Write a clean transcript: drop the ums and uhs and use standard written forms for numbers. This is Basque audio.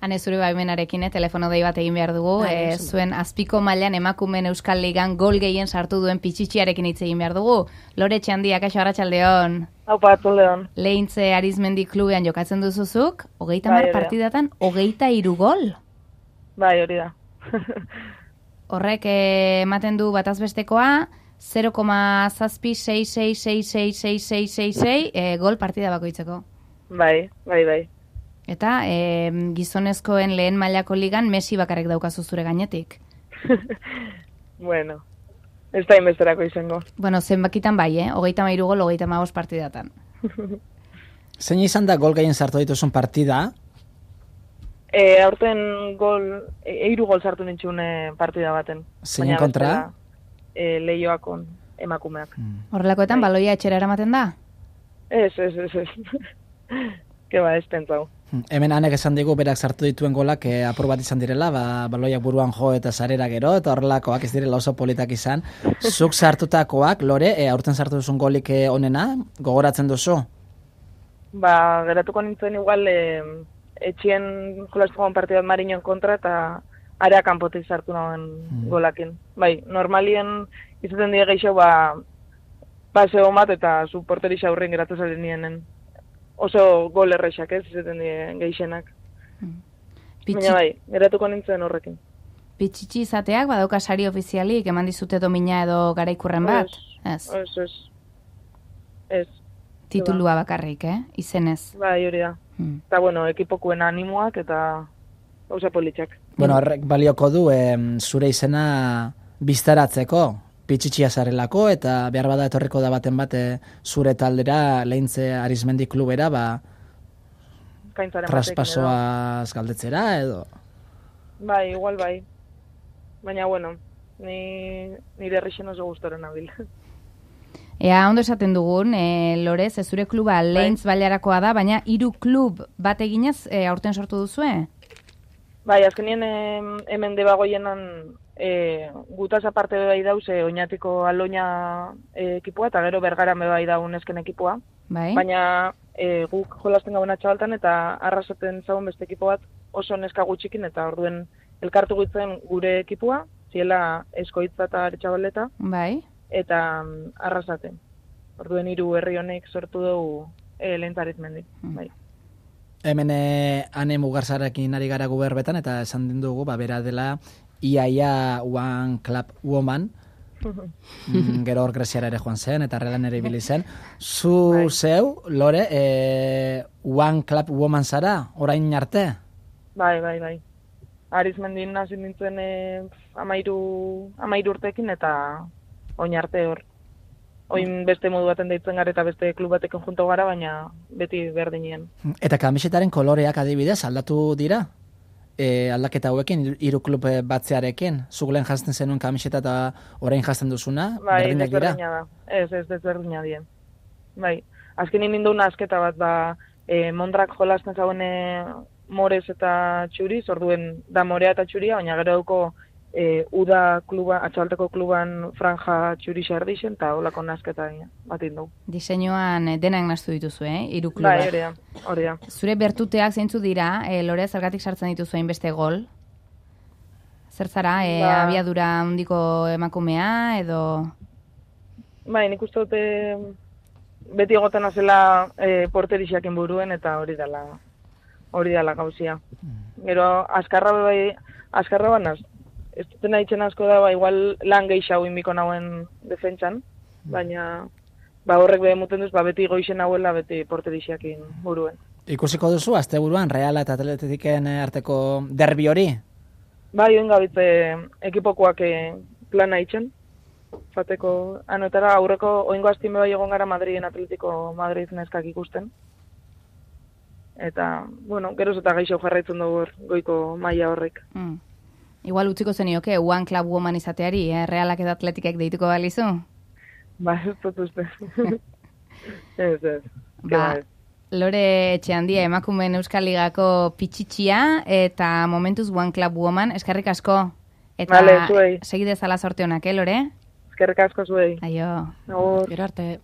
Hane zure baimenarekin, telefono dei bat egin behar dugu, zuen azpiko mailan emakumeen Euskal Ligan gol gehien sartu duen Pichichiarekin hitz egin behar dugu. Lore Txandia, kaixo arratsaldeon. Aupa, atoldeon. Lehintze Arizmendi klubean jokatzen duzuzuk, 30 partidatan, 23 gol? Bai, hori da. Horrek ematen du batazbestekoa, 0,666666666 gol partida bakoitzeko. Bai. Eta gizonezkoen lehen mailako ligan Messi bakarrik daukazu zure gainetik. Bueno, ez da inbesterako izango. Bueno, zenbakitan bai, 33 gol, 35 partidatan. Zein izan da gol gehien sartu dituzun partida? Aurten gol, 3 gol sartu nintxun partida baten. Zein kontra? Leioakon emakumeak. Horrelakoetan baloia etxera eramaten da? Ez. Keba, ez pentsau. Hemen anek esan digu berak sartu dituen golak apur bat izan direla, baloiak buruan jo eta sarera gero, eta horrelakoak ez direla oso politak izan. Zuk sartutakoak, Lore, aurten sartu duzun golik onena, gogoratzen duzu? Geratuko nintzen igual, etxien jolaztuan partidat Mariñon kontra, eta area kanpotik sartu nagoen golakin. Bai, normalien izaten die geixo, paseo bat eta zu porterisa aurren geratu zaren nienen. Oso gol errexak ez, izaten die geixenak. Baina bai, geratuko nintzen horrekin. Pichichi izateak badauka sari ofizialik, eman dizute domina edo garaikurren bat? Ez. Titulua bakarrik, izenez. Bai, hori da. Eta, bueno, ekipokuen animoak eta gauza politxak. Bueno, horrek balioko du zure izena biztaratzeko, Pichichia zarelako, eta behar bada etorriko da baten bate zure taldera, Lehintze Arizmendi klubera, traspasoaz galdetzera, edo? Bai, igual bai. Baina, bueno, nire herrixen oso gustoren nabil. Ea, ondo esaten dugun, Lore, zure kluba Lehintz Bailarakoa da, baina 3 klub bat eginez aurten sortu duzue? Bai, azkenien hemen debagoienan gutaz aparte bai dauz Oñatiko Aloña ekipua, eta gero Bergaran bai daun esken ekipua. Bai. Baina guk jolasten gauna txabaltan eta arrasaten zagun beste ekipo bat oso neska gutxikin, eta orduen elkartu gutzen gure ekipua, ziela Eskoitza eta Aretxabaleta. Bai. Eta arrasaten. Orduen 3 herri honek sortu dugu Lehintze Arizmendi. Bai. Hemen Ane Mugarzarekin ari gara guberbetan, eta esan den dugu, bera dela iaia One Club Woman, gero hor Greziara ere joan zen, eta Relan ere ibili zen. Zeu, Lore, One Club Woman zara, orain arte? Bai. Arizmendin hasi nintzen 13 urtekin, eta oin arte hor. Oin beste modu baten deitzen gara eta beste klub batekin junto gara, baina beti berdinien. Eta kamisetaren koloreak adibidez aldatu dira? Aldaketa hauekin, 3 klub batzearekin? Zuk lehen jazten zenuen kamiseta eta orain jazten duzuna? Bai, berdinak dira? desberdina da. Ez desberdina dien. Bai, azkenin ninduen asketa bat, Mondrak jolasten zauen morez eta txuriz, orduen da morea eta txuria, baina gero duko Uda kluba, atxalteko kluban franja txuri xardixen, eta holako nasketa bat indu. Diseinuan denak naztu dituzu, 3 kluba. Bai, hori da. Zure bertuteak zeintzu dira, Lore, zergatik sartzen dituzu hainbeste gol? Zer zara, abiadura handiko emakumea, edo? Bai, nik uste dute beti egoten azela porterixakin buruen, eta hori dela gauzia. Gero, askarra banaz, ez dutena itxen asko da, igual lan gehiago inbiko nauen defentsan, baina horrek behemuten duz, beti goixen hauela, beti porterixiakin buruen. Ikusiko duzu, azte buruan, Reala eta Atletiken arteko derbi hori? Bai, oin gabitze ekipokoak plana itxen, fateko anotara aurreko oingo aztime bai egon gara Madriden Atletiko Madrid neskak ikusten. Eta, bueno, geroz eta gaixo jarraitzen dugu goiko maila horrek. Igual utziko zenioke, One Club Woman izateari, Realak edo Atletikek deituko balizu? Ba, ez dut uste. Ez. Lore Txandia, emakumeen Euskal Ligako Pichichia, eta momentuz One Club Woman, eskerrik asko. Eta vale, zuei. Segidez ala sorte honak, Lore? Eskerrik asko zuei. Aio. Agur. Gero arte.